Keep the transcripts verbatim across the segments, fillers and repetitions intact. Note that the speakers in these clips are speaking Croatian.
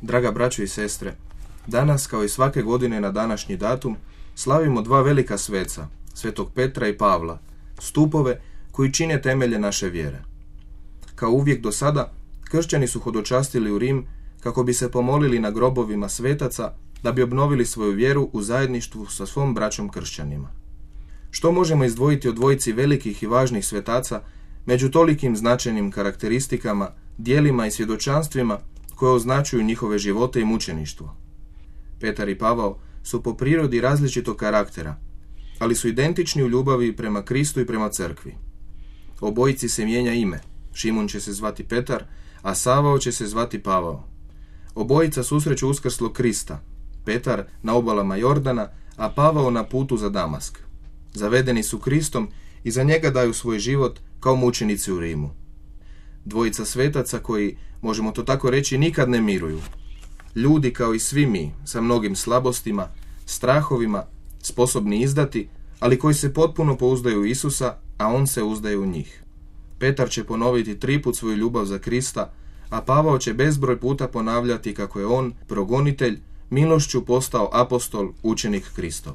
Draga braćo i sestre, danas kao i svake godine na današnji datum slavimo dva velika sveca, svetog Petra i Pavla, stupove koji čine temelje naše vjere. Kao uvijek do sada, kršćani su hodočastili u Rim kako bi se pomolili na grobovima svetaca da bi obnovili svoju vjeru u zajedništvu sa svom braćom kršćanima. Što možemo izdvojiti od dvojici velikih i važnih svetaca među tolikim značajnim karakteristikama, djelima i svjedočanstvima koje označuju njihove živote i mučeništvo? Petar i Pavao su po prirodi različitog karaktera, ali su identični u ljubavi prema Kristu i prema crkvi. Obojici se mijenja ime. Šimun će se zvati Petar, a Savao će se zvati Pavao. Obojica susreću uskrslog Krista, Petar na obalama Jordana, a Pavao na putu za Damask. Zavedeni su Kristom i za njega daju svoj život kao mučenici u Rimu. Dvojica svetaca koji, možemo to tako reći, nikad ne miruju. Ljudi kao i svi mi, sa mnogim slabostima, strahovima, sposobni izdati, ali koji se potpuno pouzdaju u Isusa, a on se uzdaje u njih. Petar će ponoviti triput svoju ljubav za Krista, a Pavao će bezbroj puta ponavljati kako je on, progonitelj, milošću postao apostol, učenik Kristov.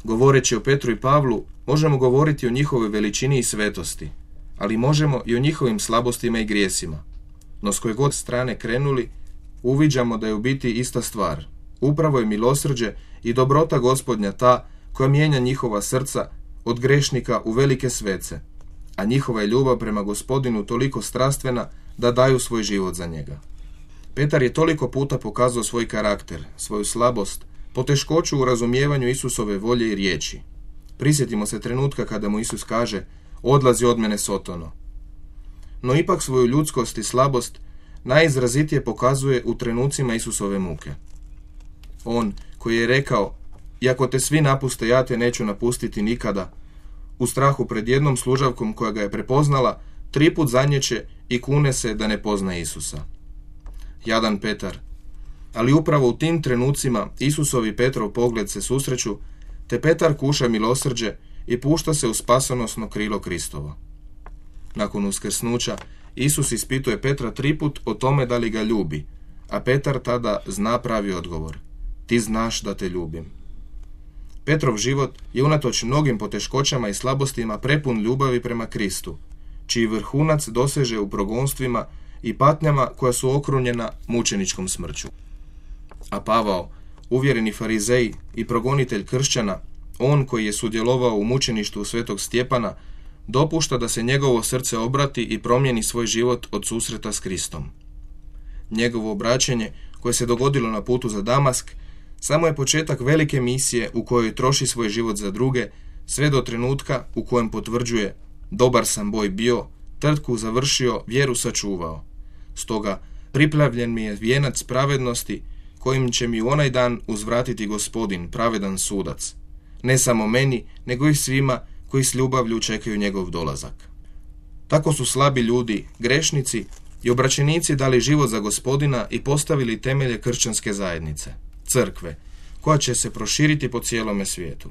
Govoreći o Petru i Pavlu, možemo govoriti o njihovoj veličini i svetosti, ali možemo i o njihovim slabostima i grijesima. No s koje god strane krenuli, uviđamo da je u biti ista stvar. Upravo je milosrđe i dobrota Gospodnja ta koja mijenja njihova srca od grešnika u velike svece, a njihova je ljubav prema Gospodinu toliko strastvena da daju svoj život za njega. Petar je toliko puta pokazao svoj karakter, svoju slabost, poteškoću u razumijevanju Isusove volje i riječi. Prisjetimo se trenutka kada mu Isus kaže: "Odlazi od mene, Sotono." No ipak svoju ljudskost i slabost najizrazitije pokazuje u trenucima Isusove muke. On koji je rekao: "Iako te svi napuste, ja te neću napustiti nikada", u strahu pred jednom služavkom koja ga je prepoznala, triput zanječe i kune se da ne pozna Isusa. Jadan Petar. Ali upravo u tim trenucima Isusov i Petrov pogled se susreću, te Petar kuša milosrđe i pušta se u spasonosno krilo Kristovo. Nakon uskrsnuća, Isus ispituje Petra triput o tome da li ga ljubi, a Petar tada zna pravi odgovor: "Ti znaš da te ljubim." Petrov život je unatoč mnogim poteškoćama i slabostima prepun ljubavi prema Kristu, čiji vrhunac doseže u progonstvima i patnjama koja su okrunjena mučeničkom smrću. A Pavao, uvjereni farizej i progonitelj kršćana, on koji je sudjelovao u mučeništvu svetog Stjepana, dopušta da se njegovo srce obrati i promijeni svoj život od susreta s Kristom. Njegovo obraćenje, koje se dogodilo na putu za Damask, samo je početak velike misije u kojoj troši svoj život za druge, sve do trenutka u kojem potvrđuje: "Dobar sam boj bio, trku završio, vjeru sačuvao. Stoga priplavljen mi je vijenac pravednosti, kojim će mi u onaj dan uzvratiti Gospodin, pravedan sudac. Ne samo meni, nego i svima koji s ljubavlju čekaju njegov dolazak." Tako su slabi ljudi, grešnici i obraćenici dali život za Gospodina i postavili temelje kršćanske zajednice, crkve, koja će se proširiti po cijelome svijetu.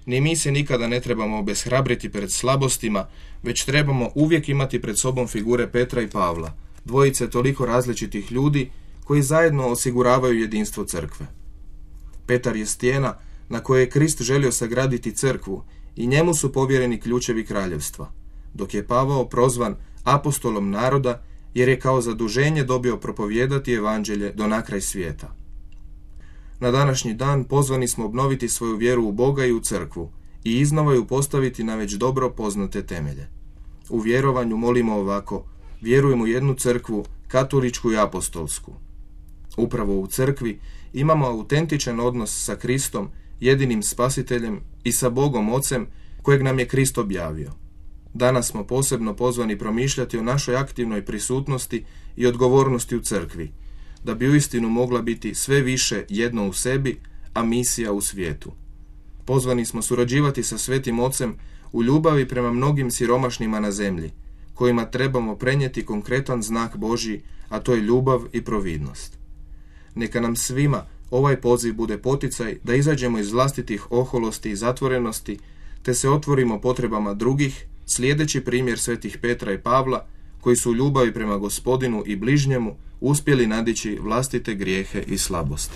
Ni mi se nikada ne trebamo obeshrabriti pred slabostima, već trebamo uvijek imati pred sobom figure Petra i Pavla, dvojice toliko različitih ljudi koji zajedno osiguravaju jedinstvo crkve. Petar je stijena na kojoj je Krist želio sagraditi crkvu i njemu su povjereni ključevi kraljevstva, dok je Pavao prozvan apostolom naroda jer je kao zaduženje dobio propovijedati evanđelje do nakraj svijeta. Na današnji dan pozvani smo obnoviti svoju vjeru u Boga i u crkvu i iznova ju postaviti na već dobro poznate temelje. U vjerovanju molimo ovako: "Vjerujem u jednu crkvu, katoličku i apostolsku." Upravo u crkvi imamo autentičan odnos sa Kristom, jedinim spasiteljem, i sa Bogom Ocem, kojeg nam je Krist objavio. Danas smo posebno pozvani promišljati o našoj aktivnoj prisutnosti i odgovornosti u crkvi, da bi uistinu mogla biti sve više jedno u sebi, a misija u svijetu. Pozvani smo surađivati sa Svetim Ocem u ljubavi prema mnogim siromašnima na zemlji, kojima trebamo prenijeti konkretan znak Božji, a to je ljubav i providnost. Neka nam svima ovaj poziv bude poticaj da izađemo iz vlastitih oholosti i zatvorenosti, te se otvorimo potrebama drugih, slijedeći primjer svetih Petra i Pavla, koji su u ljubavi prema Gospodinu i bližnjemu uspjeli nadići vlastite grijehe i slabosti.